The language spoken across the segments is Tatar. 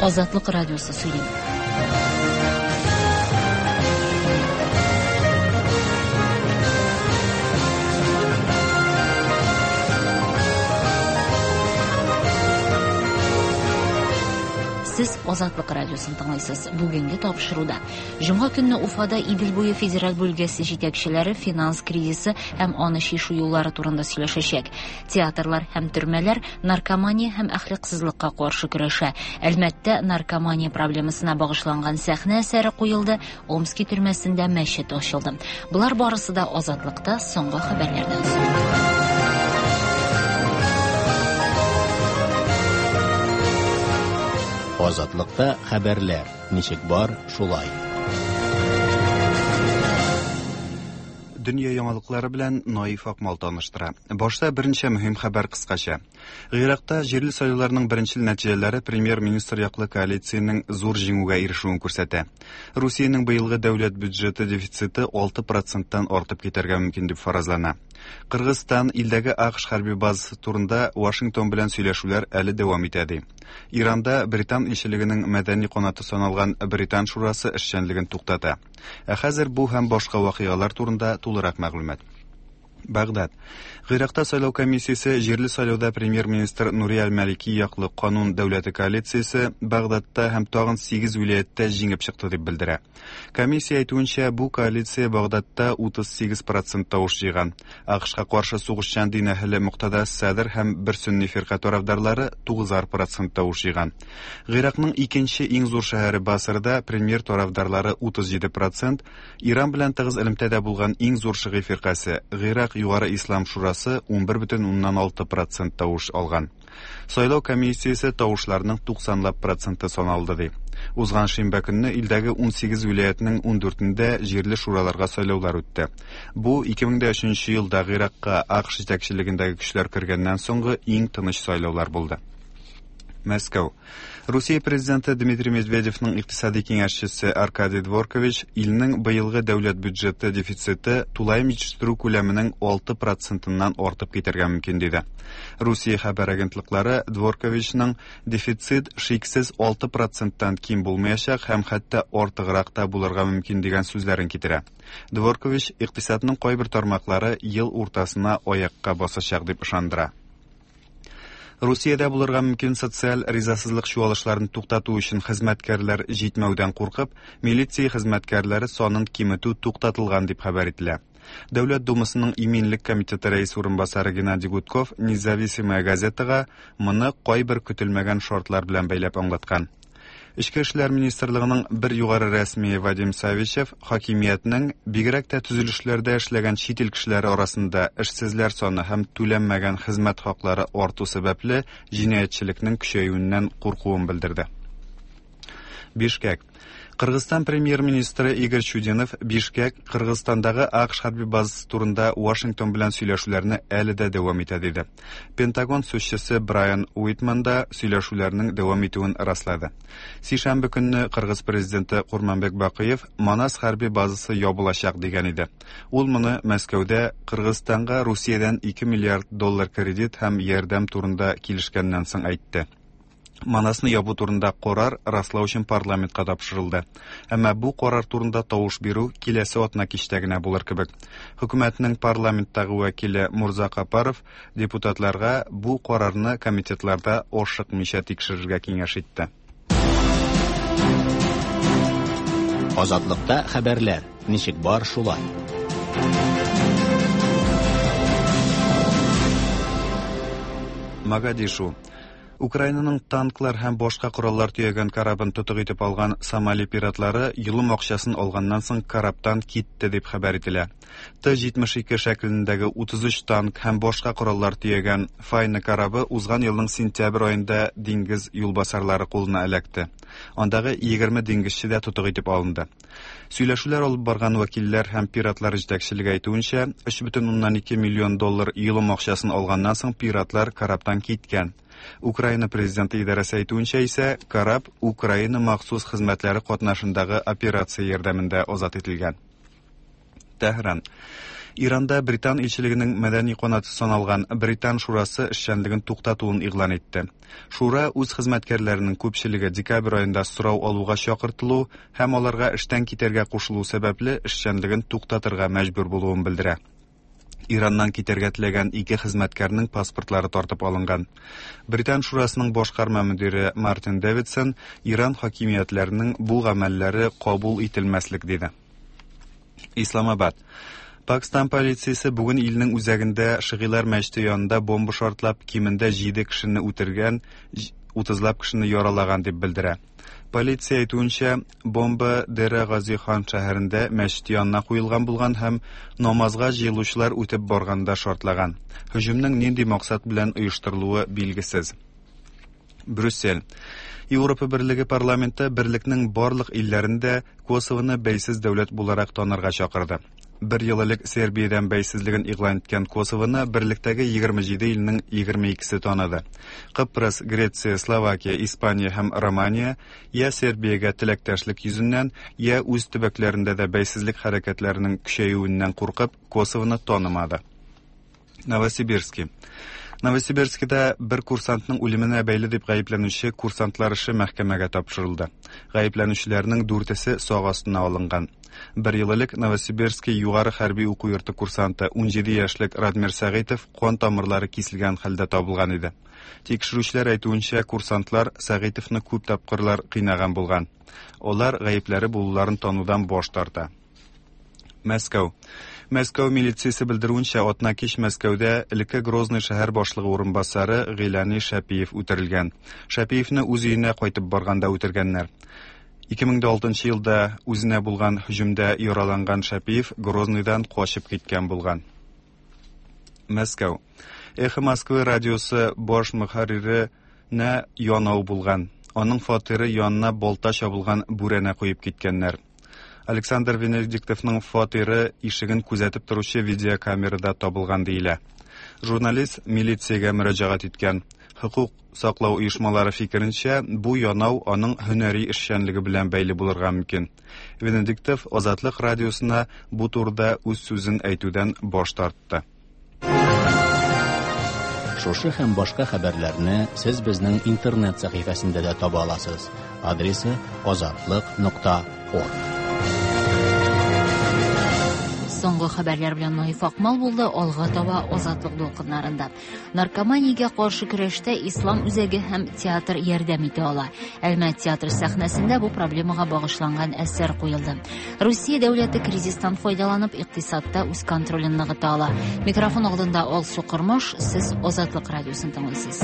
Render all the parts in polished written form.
Азатлык радиосы сөйли. Сез Азатлык радиосын тыңлыйсыз. Бүгенге тапшыруда Җомга көнне Уфада Идел буе федераль бүлгәсе җитәкчеләре финанс кризисы һәм аны чишү юллары турында сөйләшәчәк. Театрлар һәм төрмәләр наркомания һәм әхлаксызлыкка каршы көрәшә. Әлмәттә наркомания проблемасына багышланган сәхнә әсәре куелды, Омски төрмәсендә мәчет ачылды. Болар барысы да Азатлыкта соңгы хәбәрләрдән соң. Азатлыкта хәбәрләр ничек бар, шулай. Дөнья яңалыклары белән Наиф Акмал таныштыра. Башта берничә мөһим хәбәр кыскача. Гыйракта җирле сайлауларның беренчел нәтиҗәләре премьер-министр яклы коалициянең зур җиңүгә ирешүен күрсәтә. Русиянең быелгы дәүләт бюджеты дефициты 6 проценттан артып китәргә мөмкин дип фаразлана. Кыргызстан илдәге АКШ хәрби базасы турында Вашингтон белән сөйләшүләр әле дәвам итә ди. Иранда Британ илчелегенең мәдәни канаты саналган Британ шурасы эшчәнлеген туктата. Ә хәзер бу һәм башка вакыйгалар турында тулырак мәгълүмат. Багдад. Гыйракта сайлау комиссиясе җирле сайлауда премьер-министр Нури Аль-Малики яклы канун дәүләте коалициясе Багдадта һәм тагын 8 вилаятьтә җиңеп чыкты дип белдерә. Комиссия әйтүенчә, бу коалиция Багдадта 38 процент тавыш җыйган. АКШка каршы сугышчан дин әһеле Муктада Садр һәм бер сөнни фирка тарафдарлары 9 процент тавыш җыйган. Гыйракның икенче иң зур шәһәре Басрада премьер тарафдарлары 37 процент, Иран белән тыгыз элемтәдә булган иң зур шигый фиркасе Гыйрак Югары Ислам Шурасы 11,6 процент тавыш алган. Сайлау комиссиясе тавышларның 90 лап проценты саналды ди. Узган шимбә көнне илдәге 18 вилаятның 14-ндә җирле шураларга сайлаулар үтте. Бу 2003 елда Гыйракка АКШ җитәкчелегендәге көчләр кергәннән соңгы иң тыныч сайлаулар булды. Мәскәү. Русия президенты Дмитрий Медведевның икътисади киңәшчесе Аркадий Дворкович илнең быелгы дәүләт бюджеты дефициты тулаем җитештерү күләменең 6 процентыннан артып китәргә мөмкин диде. Русия хәбәр агентлыклары Дворковичның дефицит шиксез 6 проценттан ким булмаячак һәм хәтта артыграк та булырга мөмкин дигән сүзләрен китерә. Дворкович икътисадның кайбер тармаклары ел уртасына аякка басачак дип ышандыра. Русиядә булырга мөмкин социаль ризасызлык чуалышларын туктату өчен хезмәткәрләр җитмәүдән куркып, милиция хезмәткәрләре санын киметү туктатылган дип хәбәр ителә. Дәүләт Думасының иминлек комитеты рәис урынбасары Геннадий Гудков Независимая газетага моны кайбер көтелмәгән шартлар белән бәйләп аңлаткан. Эчке эшләр министрлыгының бер югары рәсмие Вадим Савичев хакимиятнең, бигрәк тә төзелешләрдә эшләгән чит ил кешеләре арасында эшсезләр саны һәм түләнмәгән хезмәт хаклары арту сәбәпле җинаятьчелекнең көчәюеннән куркуын белдерде. Бишкек. Кыргызстан премьер-министры Игорь Чудинов Бишкек Кыргызстандагы АКШ хәрби базасы турында Вашингтон белән сөйләшүләрне әле дә дәвам итә диде. Пентагон сүзчесе Брайан Уитман да сөйләшүләрнең дәвам итүен раслады. Сишәмбе көнне Кыргыз президенты Курманбек Бакыев Манас хәрби базасы ябылачак дигән иде. Ул моны Мәскәүдә Кыргызстанга Русиядән 2 миллиард доллар кредит һәм ярдәм турында килешкәннән соң әйтте. Манасны ябу турында карар раслау өчен парламентка тапшырылды. Әмма бу карар турында тавыш бирү киләсе атна кичтә генә булыр кебек. Хөкүмәтнең парламенттагы вәкиле Мурза Капаров депутатларга бу карарны комитетларда ашыкмыйча тикшерергә киңәш итте. Азатлыкта хәбәрләр ничек бар шулай. Магадишу. Украинаның танклар һәм башка кораллар төягән корабын тотык итеп алган Сомали пиратлары йолым акчасын алганнан соң корабтан китте дип хәбәр ителә. Т-72 шәкелендәге 33 танк һәм башка кораллар төягән Файна корабы узган елның сентябрь аенда диңгез юлбасарлары кулына эләкте. Андагы 20 диңгезче дә тотык итеп алынды. Сөйләшүләр алып барган вәкилләр һәм пиратлар җитәкчелеге әйтүенчә, 3,2 миллион доллар йолым акчасын алганнан соң пиратлар корабтан киткән. Украина президенты идарәсе әйтүенчә исә, кораб Украина махсус хезмәтләре катнашындагы операция ярдәмендә азат ителгән. Тәһран. Иранда Британ илчелегенең мәдәни канаты саналган Британ шурасы эшчәнлеген туктатуын игълан итте. Шура үз хезмәткәрләренең күпчелеге декабрь аенда сорау алуга чакыртылу һәм аларга эштән китәргә кушылу сәбәпле эшчәнлеген туктатырга мәҗбүр булуын белдерә. Ираннан китәргә теләгән ике хезмәткәрнең паспортлары тартып алынган. Британ шурасының башкарма мөдире Мартин Дэвидсон Иран хакимиятләренең бу гамәлләре кабул ителмәслек диде. Исламабад. Пакстан полициясе бүген илнең үзәгендә Шигыйлар мәчете янында бомба шартлап, кимендә 7 кешене үтергән, 30лап кешене яралаган дип белдерә. Полиция әйтүенчә, бомба Дера Гази хан шәһәрендә мәчет янына куелган булган һәм намазга җыелучылар үтеп барганда шартлаган. Һөҗүмнең нинди максат белән оештырылуы билгесез. Брюссель. Европа Берлеге парламенты берлекнең барлык илләрен дә Косовоны бәйсез дәүләт буларак танырга чакырды. Бер ел элек Сербиядән бәйсезлеген игълан иткән Косовоны берлектәге 27 илнең 22-се таныды. Кыпрыс, Греция, Словакия, Испания һәм Романия я Сербиягә теләктәшлек йөзеннән, я үз төбәкләрендә дә бәйсезлек хәрәкәтләренең көчәюеннән куркып, Косовоны танымады. Новосибирски. Новосибирскида бер курсантның үлеменә бәйле дип гаепләнүче курсантлар эше мәхкәмәгә тапшырылды. Гаепләнүчеләрнең дүртесе сак астына алынган. Бер ел элек Новосибирский югары хәрби уку йорты курсанты 17 яшьлек Радмир Сәгыйтов кан тамырлары киселгән хәлдә табылган иде. Тикшерүчеләр әйтүенчә, курсантлар Сәгыйтовны күп тапкырлар кыйнаган булган. Алар гаепләре булуларын танудан баш тарта. Мәскәү. Мәскәү милициясе белдерүенчә, атнакич Мәскәүдә элекке Грозный шәһәр башлыгы урынбасары Гыйлани Шәпиев үтерелгән. Шәпиевне үз өенә кайтып барганда үтергәннәр. 2006 елда үзенә булган һөҗүмдә яраланган Шәпиев Грозныйдан качып киткән булган. Мәскәү. Эхо Москвы радиосы баш мөхәрриренә янау булган. Аның фатиры янына балта чабылган бүрәнә куеп киткәннәр. Александр Венедиктовның фатиры ишеген күзәтеп торучы видеокамерада табылган диелә. Журналист милициягә мөрәҗәгать иткән. Хокук саклау оешмалары фикеренчә, бу янау аның һөнәри эшчәнлеге белән бәйле булырга мөмкин. Венедиктов Азатлык радиосына бу турыда үз сүзен әйтүдән баш тартты. Шушы һәм башка хәбәрләрне сез безнең интернет сәхифәсендә дә таба аласыз. Адресы azatliq.org. Соңгы хәбәрләр белән Наиф Акмал булды, алга таба Азатлык дулкыннарында. Наркоманиягә каршы көрәштә Ислам үзәге һәм театр ярдәм итә ала. Әлмәт театры сәхнәсендә бу проблемага багышланган әсәр куелды. Русия дәүләте кризистан файдаланып, икътисадта үз контролен ныгыта ала. Микрофон алдында Алсу Кормаш, сез Азатлык радиосын тыңлыйсыз.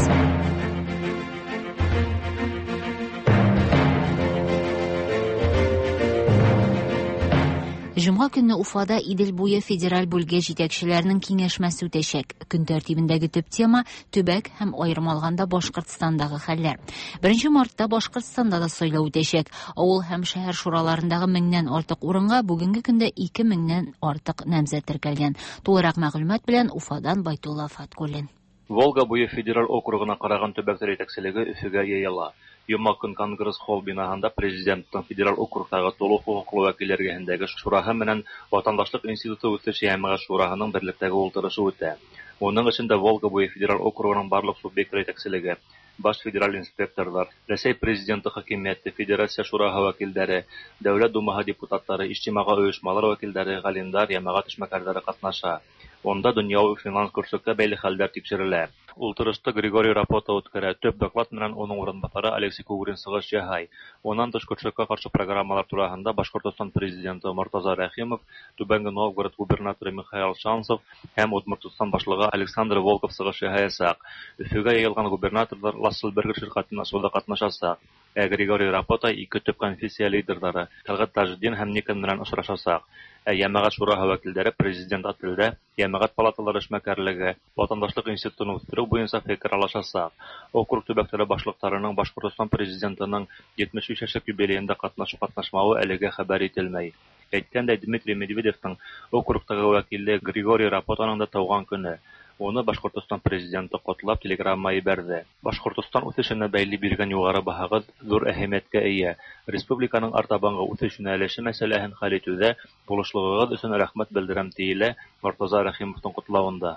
Җомга көнне Уфада Идел буе федераль бүлге җитәкчеләренең киңәшмәсе үтәчәк. Көн тәртибендәге төп тема төбәк һәм аерым алганда Башкортстандагы хәлләр. 1 мартта Башкортстанда да сайлау үтәчәк. Авыл һәм шәһәр шураларындагы меңнән артык урынга бүгенге көндә 2 меңнән артык намзәт теркәлгән. Тулырак мәгълүмат белән Уфадан Байтулла Фаткуллин. Волга буе федераль округына караган төбәкләр җитәкчелеге Өфөгә йыела. Йома көн Конгресс-холл бинаһында Президенттың федераль округтагы тулы хокуклы вәкилләр эргәһендәге шураһы менән Ватандашлык институты үсеш йәмәгать шураһының берлектәге ултырышы үтә. Уның эшендә Волга буе федераль округының барлык субъектлар җитәкчелеге, баш федераль инспекторлар, Рәсәй Президенты хакимияте, Федерация шураһы вәкилдәре, Дәүләт Думаһы депутатлары, иҗтимагый оешмалар вәкилдәре, галимдар, йәмәгать эшмәкәрләре катнаша. Унда дөньяви финанс көрслеккә бәйле хәлләр тикшерелә. Ултырышты Григорий Рапота үткәрә. Төп доклад менән уның урынбасары Алексей Кугрин сыгыш яһай. Уннан тыш көрслеккә каршы программалар тураһында Башкортостан президенты Мортаза Рәхимов, Түбәнге Новгород губернаторы Михаил Шанцев һәм Удмуртстан башлыгы Александр Волков сыгыш яһаячак. Өфөгә йыелган губернаторлар Лассельбергер ширкәтен ачуда катнашачак. Ә Григорий Рапота ике төп конфессия лидерлары Тәлгать Таҗетдин һәм Никон белән очрашачак. Ә йәмәгать шураһы вәкилдәре президент отельдә йәмәгать палаталары эшмәкәрлеге, ватандашлык институтын үстерү буенча фикер алышачак. Округ төбәкләре башлыкларының Башкортостан президентының 75 яшьлек юбилеенда катнашу-катнашмавы әлегә хәбәр ителмәй. Әйткәндәй, Дмитрий Медведевның округтагы вәкиле Григорий Рапотаның да туган көне. Уны Башкортостан Президенты котлап телеграмма ебәрҙе. Башҡортостан үҫешенә бәйле биргән юғары баһағыҙ ҙур әһәмиәткә эйә. Республиканың артабанғы үҫеш йүнәлеше мәсьәләһен хәл итеүҙә булышлығығыҙ өсөн рәхмәт белдерәм, тиелә Мортаза Рәхимовтың ҡотлауында.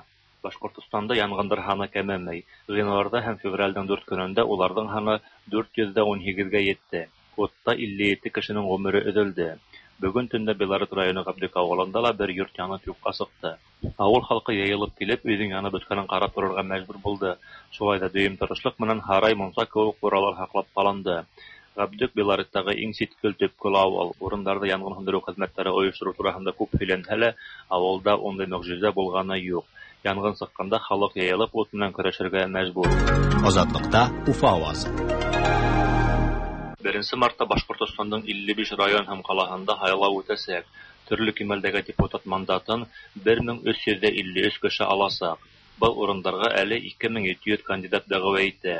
Башҡортостанда янғындар һаны кәмемәй. Ғинуарҙа һәм февралдең 4 көнөндә уларҙың һаны 418-гә етте. Утта 57 кешенең ғүмере өҙөлдө. Бөгөн төндә Белорет районы Ғәбдүк ауылында ла бер йорт янып юҡҡа сыҡты. Ауыл халҡы йыйылып килеп, өйҙөң янып бөткәнен ҡарап торорға мәжбүр булды. Шулай ҙа дөйөм тырышлыҡ менән һарай, мунса кеүек ҡуралар һаҡлап ҡалынды. Ғәбдүк Белореттағы иң ситкел, төпкөл ауыл. Урындарҙа янғын һүндереү хеҙмәттәре ойоштороу тураһында күп һөйләнһә лә, ауылда ундай мөғжизә булғаны юҡ. Янғын сыҡҡанда халыҡ йыйылып ут менән көрәшергә мәжбүр. Азатлыкта Уфа авазы. 1 мартта Башҡортостандың 55 район һәм ҡалаһында һайлау үтәсәк. Төрлө кимәлдәге депутат мандатын 1353 кеше аласаҡ. Был урындарға әле 2700 кандидат дәғүә итә.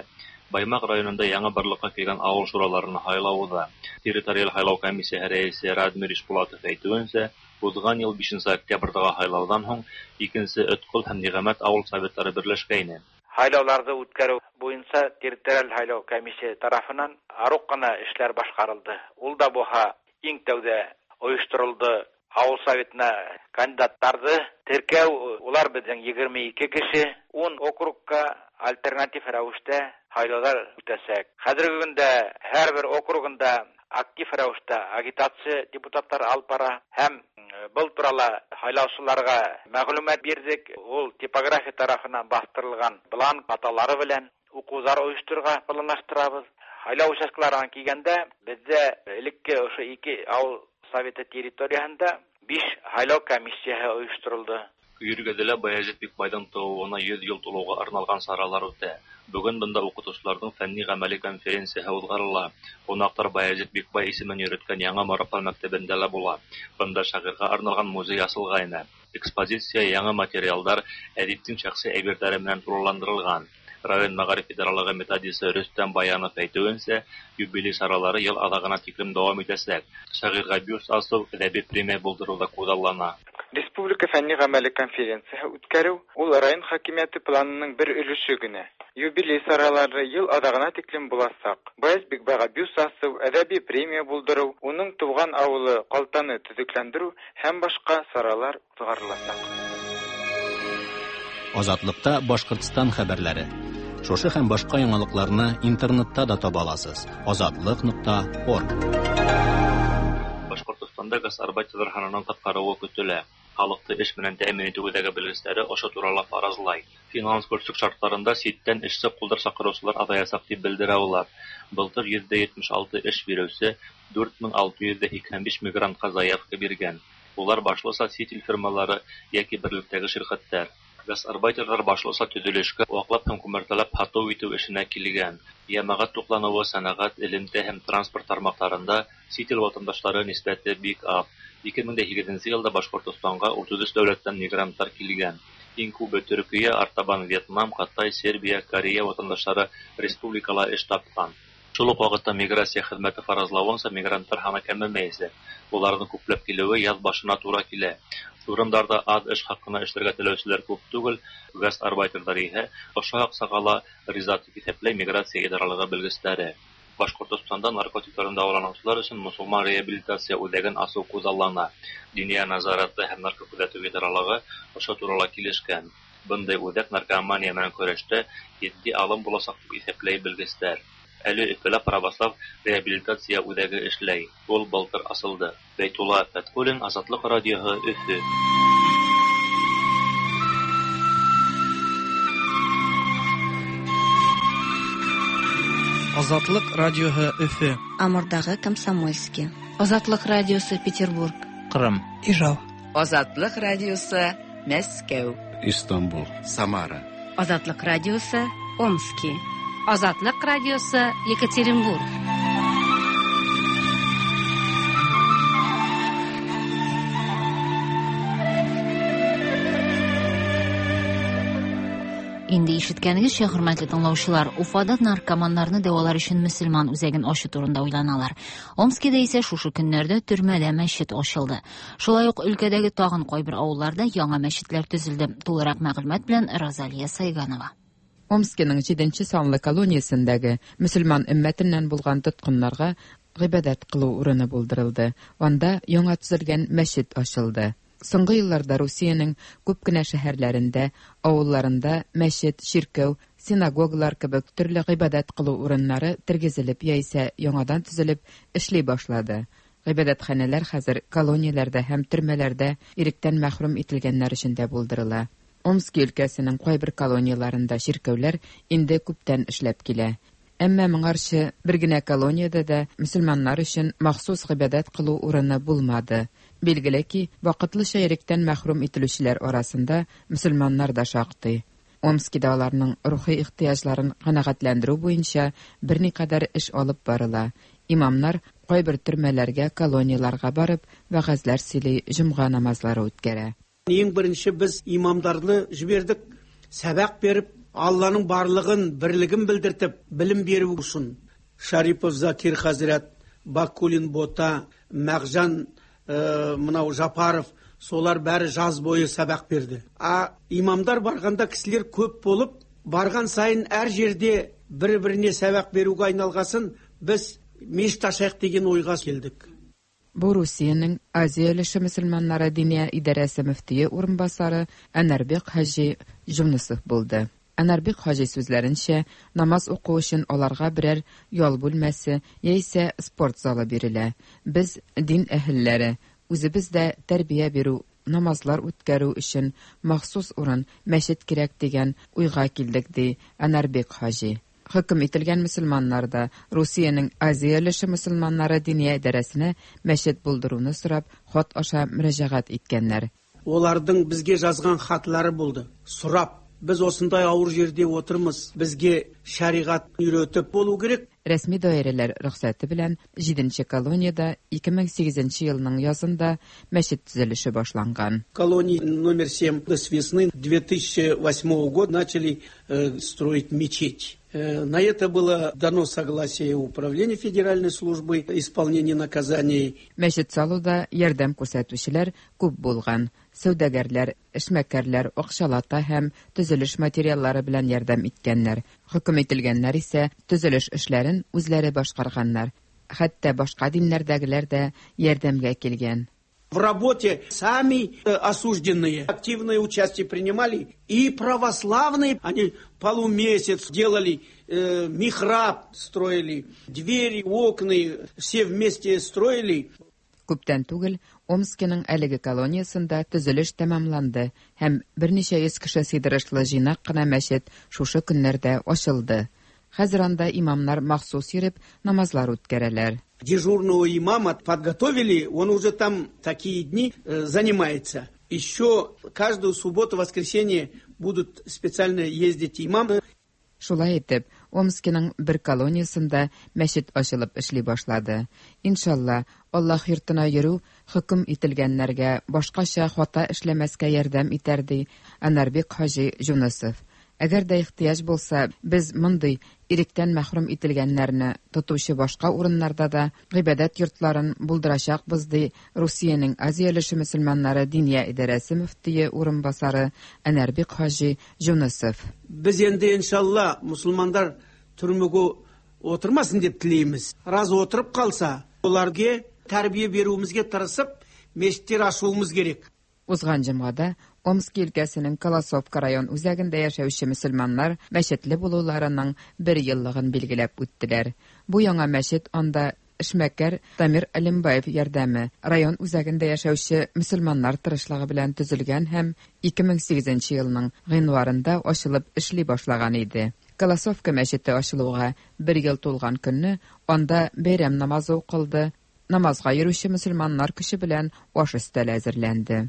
Баймаҡ районында яңы барлыҡҡа килгән ауыл шураларына һайлау уҙа. Территориаль һайлау комиссияһы рәйесе Радмир Ишбулатов әйтеүенсә, уҙған йыл 5 октябрҙағы һайлауҙан һуң 2 Өткөл һәм Ниғәмәт ауыл советтары берләшкәйне. Һайлауҙарҙы үткәреү буйынса территориаль һайлау комиссияһы тарафынан арыу ҡына эштәр башҡарылды. Ул да булһа иң тәүҙә ойошторолдо ауыл советына кандидаттарҙы теркәү, улар беҙҙең 22 кеше, 10 округка альтернатив рәүештә һайлауҙар үтәсәк. Хәҙерге көндә һәр бер округында актив рәүештә агитация депутаттар алып бара һәм был турала һайлаусыларға мәғлүмәт бирҙек. Ул типография тарафынан баҫтырылған бланк аталары белән уҡыуҙар ойошторорға планлаштырабыҙ. Һайлау участкаларына килгәндә, беҙҙә элекке ошо 2 ауыл советы территорияһында 5 һайлау комиссияһы ойошторолдо. Көйөргәҙелә Баязит Бикбайҙың тыуыуына 100 йыл тулыуға арналған саралар үтә. Бөгөн бында уҡытыусыларҙың фәнни-ғәмәли конференцияһы уҙғарыла. Ҡунаҡтар Баязит Бикбай исемен йөрөткән Яңы Марапан мәктәбендә лә була. Бында шағирға арналған музей асылғайны. Экспозиция яңы материалдар, әҙиптең шәхси әйберҙәре менән тулыландырылған. Район мәғариф идаралығы методисы Рөстәм Баянов әйтеүенсә, юбилей саралары йыл аҙағына тиклем дауам итәсәк. Шағирға бюст асыу, әҙәби премия булдырыу ҙа күҙаллана. Республика фәнни-ғәмәли конференцияһы үткәреү ул район хакимиәте планының бер өлөшө генә. Юбилей саралары йыл аҙағына тиклем буласаҡ. Баяз Бикбайға бюст асыу, әҙәби премия булдырыу, уның тыуған ауылы Ҡалтаны төҙөкләндереү һәм башҡа саралар уҙғарыласаҡ. Азатлыкта Башҡортостан хәбәрләре. Шушы һәм башҡа яңалыҡларны интернетта да таба аласыз. Азатлык.орг. Башҡортостанда гастарбайтерҙар һанының ҡыҫҡарыуы көтөлә. Халыҡты эш менән тәьмин итеү үҙәге белгестәре ошо турала фаразлай. Финанс көрсөк шарттарында ситтән эшсе ҡулдар саҡырыусылар аҙаясаҡ тип белдерә улар. Былтыр 76% эш биреүсе 4685 мигрантҡа заявка биргән. Улар башлыса сит ил фирмалары йәки берлектәге ширҡәттәр. Гастарбайтерҙар башлыса төҙөлөшкә, ваҡлап һәм күмәртәләп һатыу итеү эшенә килгән. Йәмәғәт туҡланыуы, сәнәғәт, элемтә һәм транспорт тармаҡтарында сит ил ватандаштары нисбәте бик аҙ. 2008 йылда Башҡортостанға 33 дәүләттән мигранттар килгән. Иң күбе Төркиә, артабан Вьетнам, Ҡытай, Сербия, Корея ватандаштары республикала эш тапҡан. Шул уҡ ваҡытта миграция хеҙмәте фаразлауынса, мигранттар һаны кәмемәйәсәк. Уларҙың күпләп килеүе яҙ башына тура килә. Урындарҙа аҙ эш хаҡына эшләргә теләүселәр күп түгел, гастарбайтерҙар иһә ошо аҡсаға ла риза тип иҫәпләй миграция идаралығы белгестәре. Башҡортостанда наркотиктарҙан дауаланыусылар өсөн мосолман реабилитация үҙәген асыу күҙаллана. Диниә назараты һәм наркокүҙәтеү идаралығы ошо турала килешкән. Бындай үҙәк наркомания менән көрәштә етди алым буласаҡ тип иҫәпләй белгестәр. Әле Өфөлә православ реабилитация үҙәге эшләй. Ул былтыр асылды. Бәйтулла Фәтхуллин, Азатлыҡ радиоһы, Өфө. Азатлык радиоһы, Өфө. Амурдағы Комсомольский. Азатлык радиосы, Петербург. Ҡырым. Ижау. Азатлык радиосы, Мәскәү. Истанбул. Самара. Азатлык радиосы, Омски. Азатлык радиосы, Екатеринбург. Инде ишеткәнегезчә, хөрмәтле тыңлаучылар, Уфада наркоманнарны дәвалар өчен мөселман үзәген ачу турында уйланалар. Омскида исә шушы көннәрдә төрмәдә мәчет ачылды. Шулай ук өлкәдәге тагын кайбер авылларда яңа мәчетләр төзелде. Тулырак мәгълүмат белән Розалия Сайганова. Омскиның 7 санлы колониясендәге мөселман өммәтеннән булган тоткыннарга гыйбадәт кылу урыны булдырылды. Анда яңа төзелгән мәчет ачылды. Соңгы елларда Русиянең күп кенә шәһәрләрендә, авылларында мәчет, чиркәү, синагогалар кебек төрле гыйбадәт кылу урыннары тергезелеп яисә яңадан төзелеп эшли башлады. Гыйбадәтханәләр хәзер колонияләрдә һәм төрмәләрдә иректән мәхрүм ителгәннәр өчен дә булдырыла. Омски өлкәсенең кайбер колонияләрендә чиркәүләр инде күптән эшләп килә. Әмма моңарчы бер генә колониядә дә мөселманнар өчен махсус гыйбадәт кылу урыны булмады. Билгеле ки, вакытлыча иректән мәхрүм ителүчеләр арасында мөселманнар да шактый. Омскида аларның рухи ихтыяҗларын канәгатьләндерү буенча берникадәр эш алып барыла. Имамнар кайбер төрмәләргә, колонияләргә барып, вәгазьләр сөйли, җомга намазлары үткәрә. Ең бірінші біз имамдарды жібердік, сабақ беріп, Алланың барлығын, бірлігін білдіртіп, білім беру үшін. Шарипов Закир хазрат, Бакулин Бота, Мағжан мынау Жапаров, солар бәрі жаз бойы сабақ берді. А имамдар барғанда кісілер көп болып, барған сайын әр жерде бір-біріне сабақ беруге айналғасын, біз мешіт ашайық деген ойға келдік. Бу Русиянең Азия өлеше мөселманнары диния идарәсе мөфтие урынбасары Әнәрбек хаҗи Җунусов булды. Әнәрбек хаҗи сүзләренчә, намаз уку өчен аларга берәр ял бүлмәсе яисә спорт залы бирелә. Без дин әһелләре, үзебез дә тәрбия бирү, намазлар үткәрү өчен махсус урын, мәчет кирәк дигән уйга килдек, ди Әнәрбек хаҗи. Хөкем ителгән мөселманнар да Русиянең Азия өлеше мөселманнары диния идарәсенә мәчет булдыруны сорап, хат аша мөрәҗәгать иткәннәр. Олардың бізге жазған хатлары болды. Сұрап, біз осындай ауыр жерде отырмыз, бізге шариғат үйретіп болу керек. Рәсми даирәләр рөхсәте белән 7 колониядә 2008 елның язында мәчет төзелеше башланган. Колония номер 7 с весны 2008 года начали строить мечеть. На это было дано согласие Управления Федеральной службы исполнения наказаний. Мәчет салуда ярдәм күрсәтүчеләр күп булган. Сәүдәгәрләр, эшмәкәрләр акчалата һәм төзелеш материаллары белән ярдәм иткәннәр. Хөкем ителгәннәр исә төзелеш эшләрен үзләре башкарганнар. Хәтта башка диннәрдәгеләр дә ярдәмгә килгән. В работе сами осужденные активное участие принимали, и православные, они полумесяц делали, михраб строили, двери, окна, все вместе строили. Күптән түгел Омскиның әлеге колониясендә төзелеш тәмамланды һәм берничә йөз кеше сыйдырышлы җыйнак кына мәчет шушы көннәрдә ачылды. Хәзер анда имамнар махсус йөреп намазлар үткәрәләр. Дежурного имама подготовили, он уже там такие дни занимается. Еще каждую субботу, воскресенье будут специально ездить имамы. Шулай итеп, Омскиның бер колониясендә мәчет ачылып эшли башлады. Иншалла, Аллаһ йортына йөрү хөкем ителгәннәргә башкача хата эшләмәскә ярдәм итәр, ди Әнәрбек хаҗи Җунусов. Әгәр дә ихтыяҗ булса, без мондый иректән мәхрүм ителгәннәрне тотучы башка урыннарда да гыйбадәт йортларын булдырачакбыз, ди Русиянең Азия өлеше мөселманнары диния идарәсе мөфтие урынбасары Әнәрбек хаҗи Җунусов. Без инде иншалла мусульмандар түрмеге отырмасын деп тілейміз. Раз отырып қалса, оларға тәрбие беруімізге тырысып, мешіттер ашуымыз керек. Узган җомгада Омски өлкәсенең Колосовка район үзәгендә яшәүче мөселманнар мәчетле булуларының бер еллыгын билгеләп үттеләр. Бу яңа мәчет анда эшмәкәр Дамир Алимбаев ярдәме, район үзәгендә яшәүче мөселманнар тырышлыгы белән төзелгән һәм 2008 елның гыйнварында ачылып эшли башлаган иде. Колосовка мәчете ачылуга бер ел тулган көнне анда бәйрәм намазы укылды. Намазга йөрүче мөселманнар көче белән аш өстәле әзерләнде.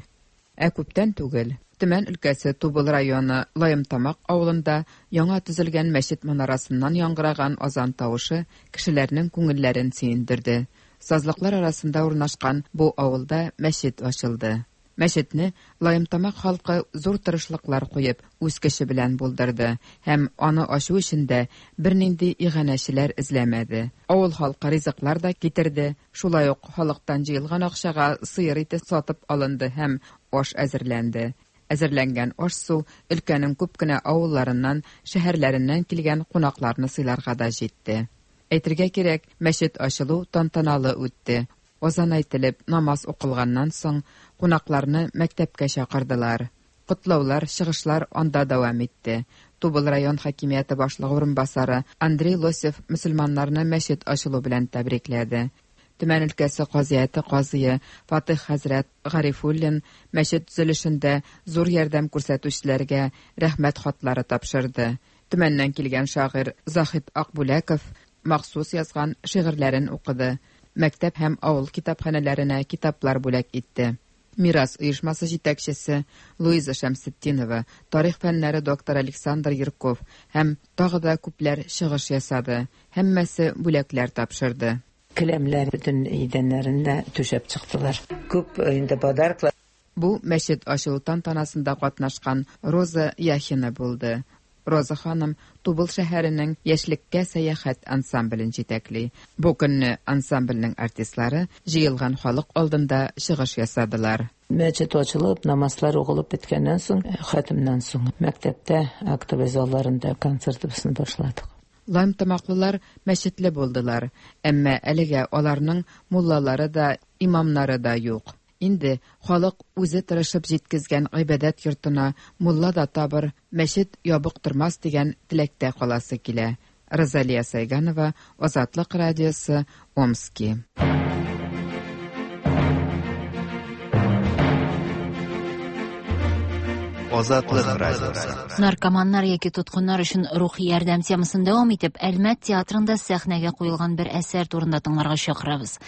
Ә күптән түгел Төмән өлкәсе Тубыл районы Лаемтамак авылында яңа төзелгән мәчет манарасыннан яңгыраган азан тавышы кешеләрнең күңелләрен сөендерде. Сазлыклар арасында урнашкан бу авылда мәчет ачылды. Мәчетне Лаемтамак халкы зур тырышлыклар куеп, үз көче белән булдырды һәм аны ачу өчен дә бернинди иганәчеләр эзләмәде. Авыл халкы ризыклар да китерде, шулай ук халыктан җыелган акчага сыер ите сатып алынды һәм аш әзерләнде. Әзерләнгән аш-су өлкәнең күп кенә авылларыннан, шәһәрләреннән килгән кунакларны сыйларга да җитте. Әйтергә кирәк, мәчет ачылу тантаналы үтте. Азан әйтелеп, намаз укылганнан соң, кунакларны мәктәпкә чакырдылар. Котлаулар, чыгышлар анда дәвам итте. Тубыл район хакимияте башлыгы урынбасары Андрей Лосев мөселманнарны мәчет ачылу белән тәбрикләде. Төмән өлкәсе казыяте казые Фатыйх хәзрәт Гарифуллин мәчет төзелешендә зур ярдәм күрсәтүчеләргә рәхмәт хатлары тапшырды. Төмәннән килгән шагыйрь Заһид Акбүләков махсус язган шигырьләрен укыды, мәктәп һәм авыл китапханәләренә китаплар бүләк итте. Мирас оешмасы җитәкчесе Луиза Шәмсетдинова, тарих фәннәре докторы Александр Ерков һәм тагы да күпләр чыгыш ясады. Һәммәсе бүләкләр тапшырды. Келәмләр бөтен идәннәрен дә түшәп чыктылар. Күп инде подарклар. Бу мәчет ачылу тантанасында катнашкан Роза Яхина булды. Роза ханым Тубыл шәһәренең Яшьлеккә сәяхәт ансамблен җитәкли. Бу көнне ансамбльнең артистлары җыелган халык алдында чыгыш ясадылар. Мәчет ачылып, намазлар укылып беткәннән соң, хәтемнән соң, мәктәптә актовый залларында концертыбызны башладык. Лаемтамаклылар мәчетле булдылар, әмма әлегә аларның муллалары да, имамнары да юк. Инде халык үзе тырышып җиткезгән гыйбадәт йортына мулла да табыр, мәчет ябык тормас дигән теләктә каласы килә. Розалия Сайганова, Азатлык радиосы, Омски. Азатлык радиосы. Наркоманнар яки тоткыннар өчен рухи ярдәм темасын дәвам итеп, Әлмәт театрында сәхнәгә куелган бер әсәр турында тыңларга чакырабыз.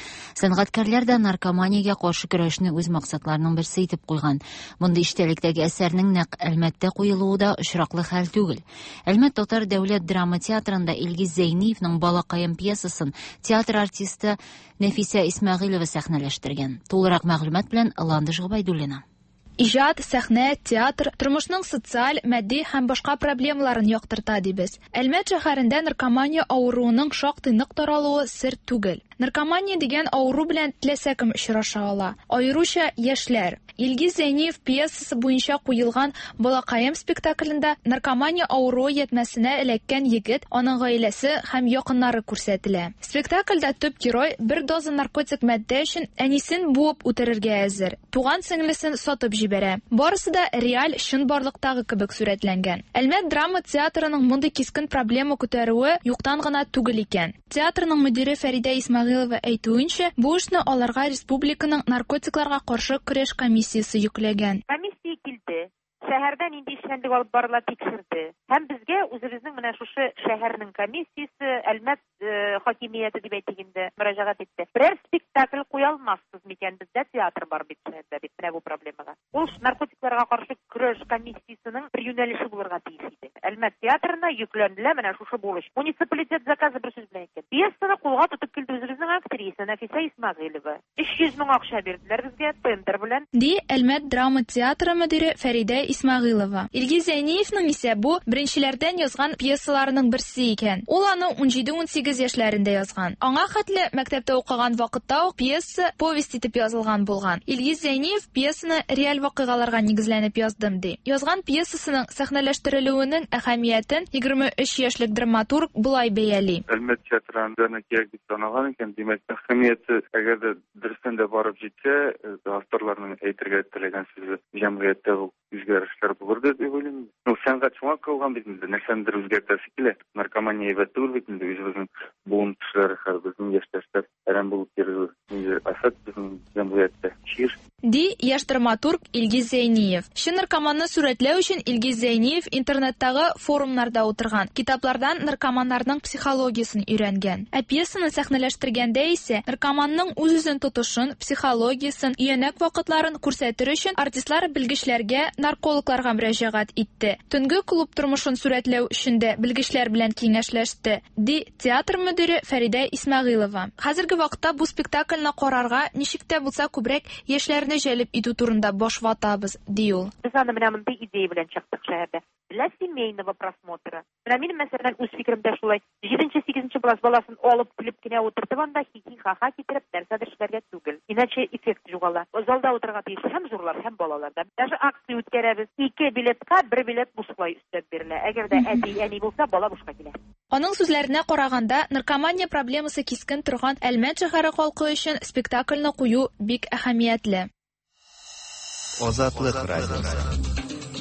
Сәнгатькәрләр дә наркоманиягә каршы көрәшне үз максатларының берсе итеп куйган. Мондый эчтәлектәге әсәрнең нәкъ Әлмәттә куелуы да очраклы хәл түгел. Әлмәт татар дәүләт драма театрында Илгиз Зәйниевның Балакаем пьесасын театр артисты Нәфисә Исмәгыйлева сәхнәләштергән. Тулырак мәгълүмат белән Ландыш Гобәйдуллина. Иҗат, сәхнә, театр тормышның социаль, матди һәм башка проблемаларын яктырта дибез. Әлмәт шәһәрендә наркомания авыруының шактый нык таралуы сер түгел. Наркомания дигән авыру белән теләсә кем очраша ала, аеруча яшьләр. Илгиз Зәйниев пьесасы буенча куелган Балакаем спектаклендә наркомания авыруы ятьмәсенә эләккән егет, аның гаиләсе һәм якыннары күрсәтелә. Спектакльдә төп герой бер доза наркотик матдә өчен әнисен буып үтерергә әзер, туган сеңлесен сатып җибәрә. Барысы да реаль чынбарлыктагы кебек сурәтләнгән. Әлмәт драма театрының мондый кискен проблема күтәрүе юктан гына түгел икән. Театрның мөдире Фәридә Исмәгыйлова әйтүенчә, бу эшне аларга республиканың наркотикларга каршы көрәш комиссиясе йөкләгән. Комиссия килде, шәһәрдә нинди эшчәнлек алып барыла тикшерде. Һәм безгә үзебезнең менә шушы шәһәрнең комиссиясе, Әлмәт хакимияте дип әйтик инде, мөрәҗәгать итте. Берәр спектакль куя алмассыз микән, бездә театр бар бит шәһәрдә дип, менә бу проблемага. Ул наркотикларга каршы көрәш комиссиясенең бер юнәлеше булырга тиеш иде. Әлмәт театрына йөкләнелә менә шушы бурыч. Муниципалитет заказы бер сүз белән әйткәндә. Пьесаны кулга тотып килде үзебезнең актриса Нәфисә Исмәгыйлева. 300 мең акча бирделәр безгә тендер белән. Ди Әлмәт драма театры мөдире Фәридә Исмәгыйлова. Илгиз Зәйниевның исә бу, беренчеләрдән язган пьесаларының берсе икән. Ул аны унҗиде-унсигез яшьләрендә язган. Аңа хәтле, мәктәптә укыган вакытта ук пьеса повесть итеп язылган булган. Илгиз Зәйниев пьесаны реаль вакыйгаларга нигезләнеп яздым, ди. Язган пьесасының сәхнәләштерелүенең әһәмиятен 23 яшьлек драматург болай бәяли. Әлмәт театры анда кирәк дип саналган икән, димәк, әһәмияте, әгәр дә дөрестән дә барып җитсә, авторларның әйтергә теләгән сүзе җәмгыятьтә бу үзгәрешләр булыр дип уйлыйм. Ну, сәнгать шуңа кылган бит инде, нәрсәнедер үзгәртәсе килә. Наркомания әйбәт түгел бит инде, үзебезнең буын кешеләре, хәзер безнең яшьтәшләр әрәм булып йөрү, ниндидер афәт безнең җәмгыятьтә, чир. Ди яшь драматург Илгиз Зәйниев. Чын наркоманны сурәтләү өчен Илгиз Зәйниев интернеттагы форумнарда утырган, китаплардан наркоманнарның психологиясен өйрәнгән. Ә пьесаны сәхнәләштергәндә исә наркоманның үз-үзен тотышын, психологиясен, өянәк вакытларын күрсәтер өчен артистлар белгечләргә, наркологларга мөрәҗәгать итте. Төнге клуб тормышын сурәтләү өчен дә белгечләр белән киңәшләште, ди театр мөдире Фәридә Исмәгыйлова. Хәзерге вакытта бу спектакльне карарга ничек тә булса күбрәк яшьләрне җәлеп итү турында баш ватабыз, ди ул. Без аны менә мондый идея белән чыктык шәһәрдә. Для семейного просмотра. Менә минем, мәсәлән, үз фикеремдә шулай. Җиденче, сигезенче класс баласын алып килеп кенә утыртып анда хихи-ха-ха китереп нәрсәдер эшләргә түгел. Иначе эффект югала. Залда утырырга тиеш һәм зурлар, һәм балалар да. Даже акция үткәрәбез. Ике билетка бер билет бушлай өстәп бирелә. Әгәр дә әти, әни булса, бала бушка килә. Аның сүзләренә караганда, наркомания проблемасы кискен торган Әлмәт шәһәре халкы өчен спектакльне кую бик әһәмиятле. Азатлык радиосы.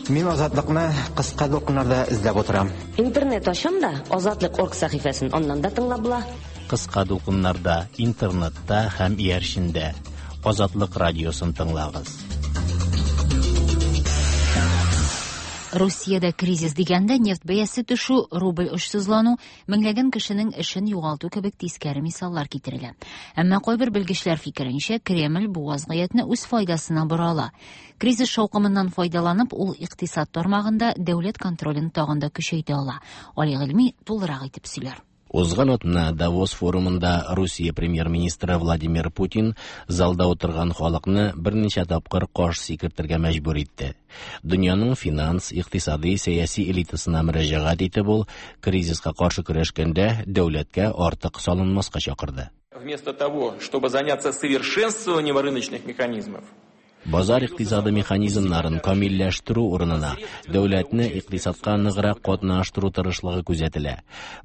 Мин Азатлыкны кыска дулкыннарда эзләп утырам. Интернет ачам да, Азатлык орг сәхифәсен аннан да тыңлап була. Кыска дулкыннарда, интернетта һәм иярчендә Азатлык радиосын тыңлагыз. Русиядә кризис дигәндә нефть бәясе төшү, рубль очсызлану, меңләгән кешенең эшен югалту кебек тискәре мисаллар китерелә. Әмма кайбер белгечләр фикеренчә, Кремль бу вазгыятьне үз файдасына бора ала. Кризис шаукымыннан файдаланып, ул икътисад тармагында дәүләт контролен тагын да көчәйтә ала. Али Гыйльми тулырак итеп сөйләр. Узган атна Давос форумында Русия премьер-министры Владимир Путин залда утырган халыкны берничә тапкыр каш сикертергә мәҗбүр итте. Дөньяның финанс, икътисади, сәяси элитасына мөрәҗәгать итеп ул кризиска каршы көрәшкәндә дәүләткә артык салынмаска чакырды. Вместо того, чтобы заняться совершенствованием рыночных механизмов, Базар икътисады механизмнарын камилләштерү урынына дәүләтне икътисадка ныграк катнаштыру тырышлыгы күзәтелә.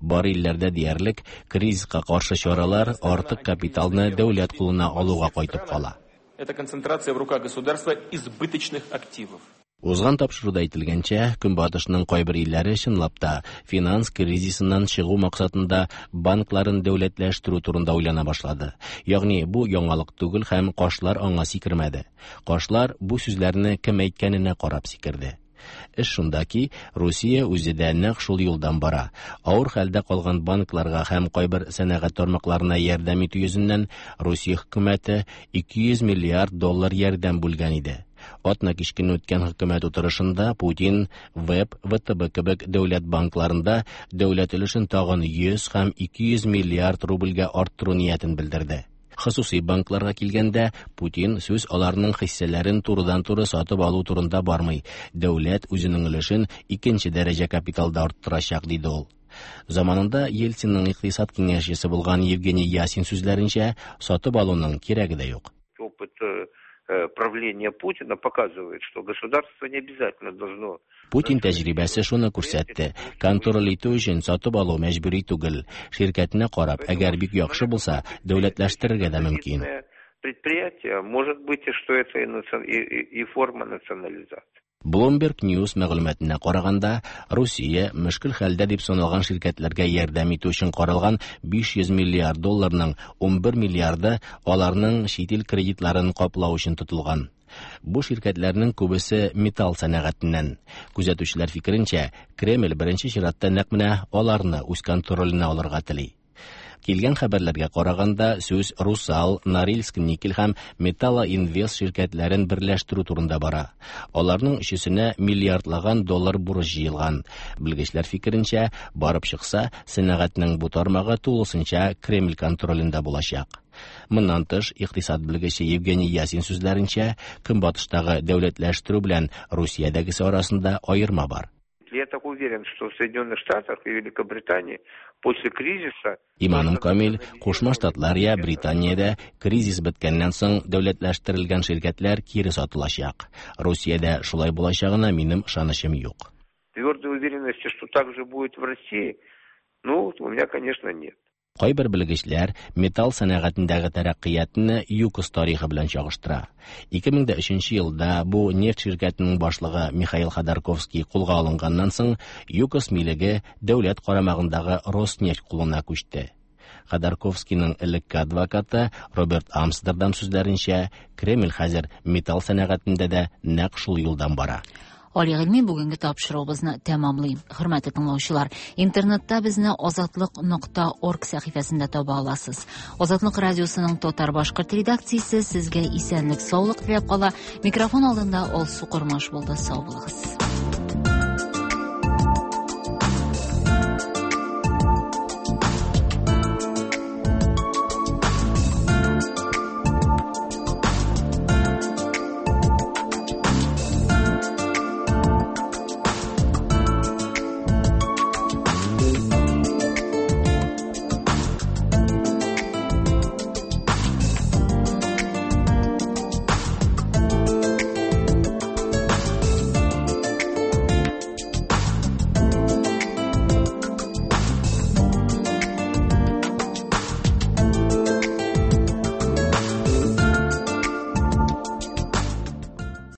Бар илләрдә диярлек кризиска каршы чаралар артык капиталны дәүләт кулына алуга кайтып кала. Это концентрация в руках государства избыточных активов. Узган тапшыруда әйтелгәнчә, Көнбатышның кайбер илләре чынлап та финанс кризисыннан чыгу максатында банкларын дәүләтләштерү турында уйлана башлады. Ягъни бу яңалык түгел һәм кашлар аңа сикермәде. Кашлар бу сүзләрне кем әйткәненә карап сикерде. Эш шунда ки, Русия үзе дә нәкъ шул юлдан бара. Авыр хәлдә калган банкларга һәм кайбер сәнәгать тармакларына ярдәм итү йөзеннән Русия хөкүмәте 200 миллиард доллар ярдәм бүлгән иде. Атна кич көнне үткән хөкүмәт утырышында Путин ВЭБ, ВТБ кебек дәүләт банкларында дәүләт өлешен тагын 100 һәм 200 миллиард рубльгә арттыру ниятен белдерде. Хосусый банкларга килгәндә, Путин сүз аларның хиссәләрен турыдан-туры сатып алу турында бармый. Дәүләт үзенең өлешен икенче дәрәҗә капиталда арттырачак, диде ул. Заманында Ельцинның икътисад киңәшчесе булган Евгений Ясин сүзләренчә, сатып алуның кирәге дә юк. Опыт правления Путина показывает, что государство не обязательно должно Путин тәҗрибәсе шуны күрсәтте. Контроль итү өчен сатып алу мәҗбүри түгел. Ширкәтенә карап, әгәр бик яхшы булса, дәүләтләштерергә дә мөмкин. Предприятие, может быть, и что это и форма национализации. Bloomberg News мәгълүматына караганда, Русия мөшкел хәлдә дип саналган ширкәтләргә ярдәм итү өчен каралган 500 миллиард долларның 11 миллиарды аларның чит ил кредитларын каплау өчен тотылган. Бу ширкәтләрнең күбесе металл сәнәгатеннән. Күзәтүчеләр фикеренчә, Кремль беренче чиратта нәкъ менә аларны үз контроленә алырга тели. Килгән хәбәрләргә караганда, сүз Русал, Норильск никель һәм Металлоинвест ширкәтләрен берләштерү турында бара. Аларның өчесенә миллиардлаган доллар бурыч җыелган. Белгечләр фикеренчә, барып чыкса, сәнәгатьнең бу тармагы тулысынча Кремль контролендә булачак. Моннан тыш, икътисад белгече Евгений Ясин сүзләренчә, Көнбатыштагы дәүләтләштерү белән Русиядәгесе арасында аерма бар. Я так уверен, что в Соединенных Штатах и Великобритании после кризиса Иманым камил, Кушма Штатлар я Британиядә кризис беткәннән соң дәүләтләштерелгән ширкәтләр кире сатылачак. Русиядә шулай булачагына минем ышанычым юк. Твердой уверенности, что так же будет в России, ну, у меня, конечно, нет. Кайбер белгечләр металл сәнәгатендәге тәрәккыятне ЮКОС тарихы белән чагыштыра. 2003 елда бу нефть ширкәтенең башлыгы Михаил Ходорковский кулга алынганнан соң, ЮКОС милеге дәүләт карамагындагы Роснефть кулына күчте. Ходорковскийның элекке адвокаты Роберт Амстердам сүзләренчә, Кремль хәзер металл сәнәгатендә дә нәкъ шул юлдан бара. Али Гыйльми бүгенге тапшыруыбызны тәмамлый. Хөрмәтле тыңлаучылар, интернетта безне азатлык нокта орг сәхифәсендә таба аласыз. Азатлык радиосының татар-башкорт редакциясе сезгә исәнлек, саулык теләп кала. Микрофон алдында Алсу Кормаш булды. Сау булыгыз.